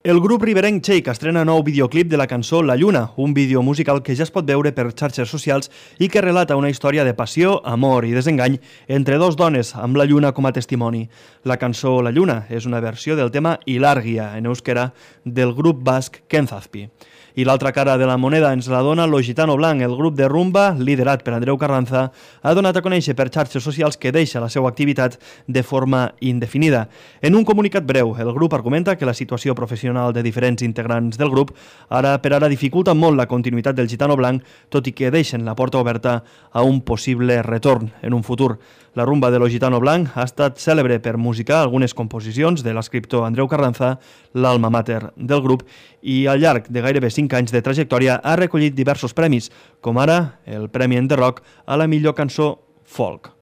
El grup riberenc Cheik estrena nou videoclip de la cançó La Lluna, un vídeo musical que ja es pot veure per xarxes socials i que relata una història de passió, amor i desengany entre dos dones, amb la lluna com a testimoni. La cançó La Lluna és una versió del tema Ilàrgia, en euskera, del grup basc Kenzazpi. I l'altra cara de la moneda ens la dona Lo Gitano Blanc. El grup de rumba, liderat per Andreu Carranza, ha donat a conèixer per xarxes socials que deixa la seva activitat de forma indefinida. En un comunicat breu, el grup argumenta que la situació professional de diferents integrants del grup ara per ara dificulta molt la continuïtat del Gitano Blanc, tot i que deixen la porta oberta a un possible retorn en un futur. La rumba de Lo Gitano Blanc ha estat cèlebre per musicar algunes composicions de l'escriptor Andreu Carranza, l'alma mater del grup, i al llarg de gairebé 5 anys de trajectòria ha recollit diversos premis, com ara el Premi Enderrock a la millor cançó folk.